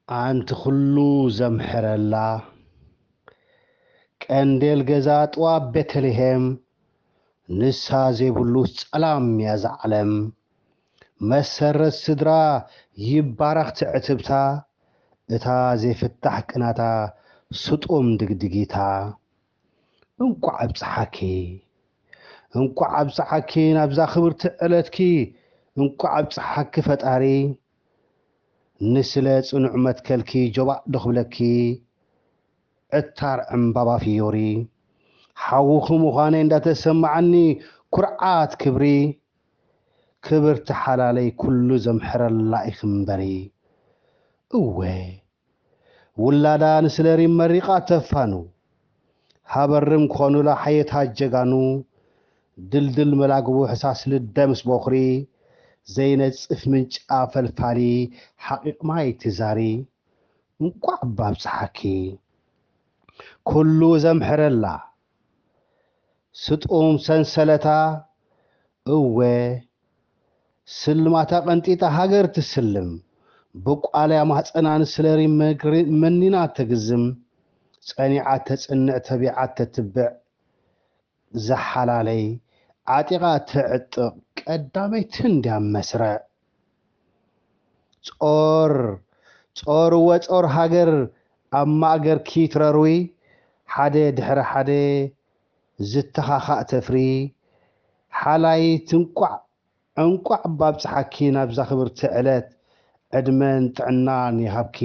ኣንቲ ኩሉ ዘምሕረላ ቀንዴል ገዛ ጥዋብ ቤተልሔም፣ ንሳ ዘይብሉስ ጸላም እያ እዛ ዓለም። መሰረት ስድራ ይባረኽ ትዕትብታ፣ እታ ዘይፍታሕ ቅናታ ስጡም ድግድጊታ። እንቋዕ ኣብጽሓኪ፣ እንቋዕ ኣብጽሓኪ ናብዛ ክብርቲ ዕለትኪ፣ እንቋዕ ኣብጽሓኪ ፈጣሪ። ንስለ ጽኑዕ መትከልኪ ጆባእ ዶ ክብለኪ፣ ዕታር ዕምባባ ፍዮሪ። ሓውኺ ምዃነይ እንዳተሰማዓኒ ኩርዓት ክብሪ። ክብርቲ ሓላለይ ኩሉ ዘምሕረላ ኢኺ እምበሪ። እወ፣ ውላዳ ንስለ ሪም መሪቓ ተፋኑ። ሃበርም ክኾኑላ ሓየታት ጀጋኑ። ድልድል መላግቡ ሕሳስ ልደ ምስ ቦኽሪ። ዘይነጽፍ ምንጫ ፈልፋሊ ሓቂቕ ማይ ትዛሪ። እንቋዕ ባብጽሓኪ። ኩሉ ዘምሕረላ ስጡም ሰንሰለታ። እወ፣ ስልማታ ቀንጢጣ ሃገር ትስልም። ብቋልያ ማህጸና ንስለ ሪም መግሪ-፣ መኒና ተግዝም። ጸኒዓ ተጽንዕ ተቢዓ ተትብዕ። ዝሓላለይ ዓጢቓ ተዕጥቕ ቀዳመይቲ እንድያ መስርዕ። ጾር፣ ጾር እወ ጾር ሃገር ኣብ ማእገርኪ ትረርዊ፣ ሓደ ድሕሪ ሓደ ዝተኻኻእ ተፍሪ። ሓላይት እንቋዕ፣ እንቋዕ ባብጽሓኪ ናብዛ ክብርቲ ዕለት። ዕድመን ጥዕናን ይሃብኪ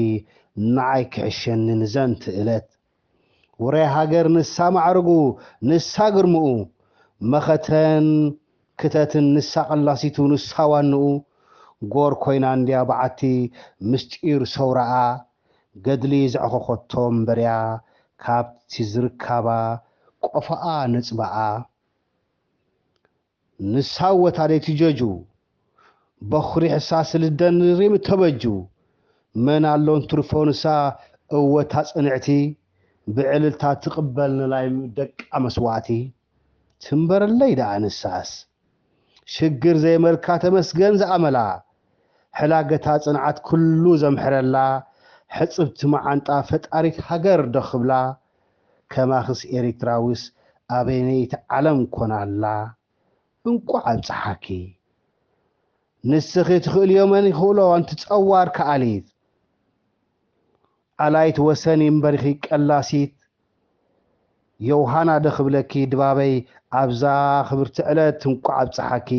ንዓይ ክሕሸኒ ንዘንቲ እለት። ውራይ ሃገር ንሳ ማዕርጉ፣ ንሳ ግርምኡ፣ መኸተን ክተትን ንሳ ቀላሲቱ፣ ንሳ ዋንኡ። ጎር ኮይና እንድያ በዓቲ ምስጢር ሰውራኣ፣ ገድሊ ዘዕኸኸቶ እምበርያ፣ ካብቲ ዝርካባ ቆፎኣ ነጽባኣ። ንሳ ወታደይቲ ጀጁ፣ በኹሪ ሕሳስ ልደን ሪም ተበጁ። መን ኣሎን ትርፎ ንሳ እወታ ጽንዕቲ፣ ብዕልልታ ትቕበል ንላይ ደቃ መስዋዕቲ። ትንበረለይ ደኣ ንሳስ፣ ሽግር ዘይመልካ ተመስገን ዝኣመላ። ሕላገታ ጽንዓት ኩሉ ዘምሕረላ፣ ሕጽብቲ መዓንጣ ፈጣሪት ሃገር ዶ ክብላ። ከማኽስ ኤሪትራዊስ ኣበይነይቲ ዓለም ኮና ኣላ። እንቋዕ ኣብጽሓኪ። ንስኺ ትኽእልዮ መን ይኽእሎ ኣንቲ ጸዋር ከኣሊት። ኣላይት ወሰን ይንበርኺ ቀላሲት። ዮውሃና ዶ ክብለኪ ድባበይ ኣብዛ ክብርቲ ዕለት እንቋዕ ኣብጽሓኪ።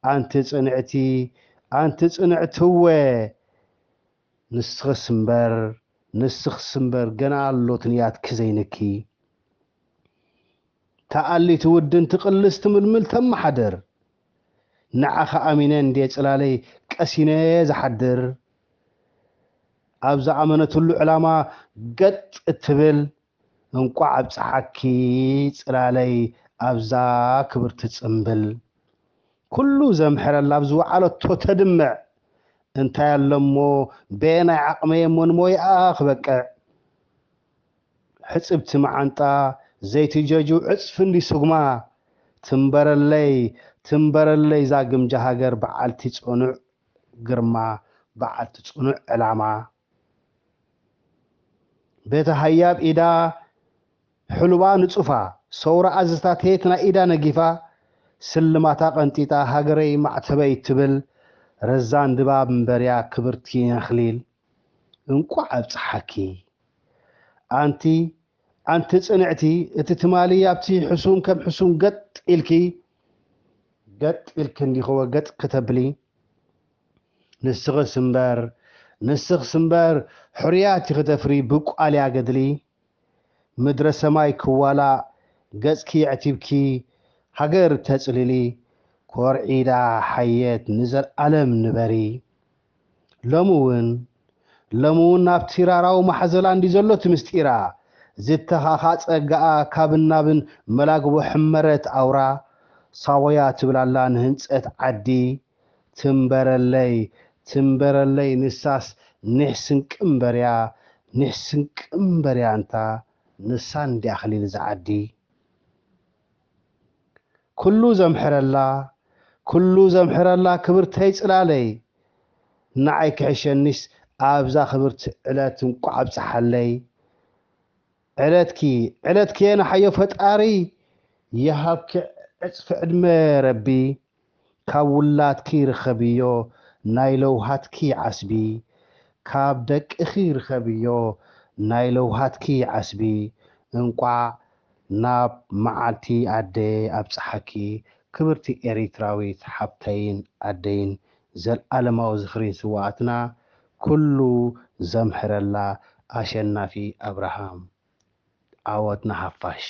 ኣንቲ ጽንዕቲ፣ ኣንቲ ጽንዕቲ እወ። ንስኽስ እምበር፣ ንስኽስ እምበር ገና ኣሎ ትንያትኪ ዘይንኪ። ተኣሊቲ ውድንቲ ቅልስቲ ምልምል ተመሓድር። ንዓኻ ኣሚነ እንድየ ጽላለይ ቀሲነ ዝሓድር። ኣብ ዝኣመነትሉ ዕላማ ገጥ እትብል እንቋዕ ኣብጽሓኪ ጽላለይ ኣብዛ ክብርቲ ጽምብል። ኩሉ ዘምሕረላ ኣብ ዝወዓለቶ ተድምዕ። እንታይ ኣሎ እሞ በየናይ ዓቕመይ እሞ ንሞይኣ ክበቅዕ። ሕጽብቲ መዓንጣ ዘይትጀጁ ዕጽፊ እንዲ ስጉማ። ትንበረለይ፣ ትንበረለይ እዛ ግምጃ ሃገር በዓልቲ ጽኑዕ ግርማ፣ በዓልቲ ጽኑዕ ዕላማ። ቤተ ሃያብ ኢዳ ሕሉባ ንጹፋ፣ ሰውራ ኣዝታት ሄት ናይ ኢዳ ነጊፋ፣ ስልማታ ቀንጢጣ ሃገረይ ማዕተበይ ትብል፣ ረዛን ድባብ እምበርያ ክብርቲ ነኽሊል። እንቋዕ ኣብጽሓኪ። ኣንቲ፣ ኣንቲ ጽንዕቲ፣ እቲ ትማሊ ኣብቲ ሕሱም ከም ሕሱም ገጥ ኢልኪ፣ ገጥ ኢልኪ እንዲኽወ ገጥ ክተብሊ። ንስኽስ እምበር፣ ንስኽስ እምበር፣ ሕሩያት ኢኺ ተፍሪ ብቋልያ ገድሊ። ምድረ ሰማይ ክዋላእ ገጽኪ ኣዕቲብኪ፣ ሃገር ተጽልሊ፣ ኮርዒዳ ሓየት ንዘልኣለም ንበሪ። ሎሚ እውን፣ ሎሚ እውን ናብቲ ራራዊ ማሕዘላ እንዲ ዘሎ እቲ ምስጢራ፣ ዝተኻኻ ጸጋኣ ካብን ናብን መላግቦ ሕመረት ኣውራ፣ ሳወያ ትብል ኣላ ንህንጸት ዓዲ። ትንበረለይ፣ ትንበረለይ ንሳስ ኒሕ ስንቂ እምበርያ፣ ኒሕ ስንቂ እምበርያ እንታ ንሳ እንድያ ኣኽሊል እዛ ዓዲ። ኩሉ ዘምሕረላ፣ ኩሉ ዘምሕረላ ክብርተይ ጽላለይ፣ ንዓይ ክሕሸኒስ ኣብዛ ክብርቲ ዕለት እንቋዕ ኣብጽሓለይ። ዕለትኪ ዕለትኪ የንሓዮ ፈጣሪ፣ ይሃብኪ ዕጽፊ ዕድመ ረቢ። ካብ ውላድኪ ርኸብዮ ናይ ለውሃትኪ ዓስቢ፣ ካብ ደቅኺ ርኸብዮ ናይ ለውሃትኪ ዓስቢ። እንቋዕ ናብ መዓልቲ ኣደ ኣብጽሓኪ ክብርቲ ኤሪትራዊት ሓብተይን ኣደይን። ዘልኣለማዊ ዝኽሪን ስውኣትና። ኩሉ ዘምሕረላ ኣሸናፊ ኣብርሃም። ዓወት ንሓፋሽ።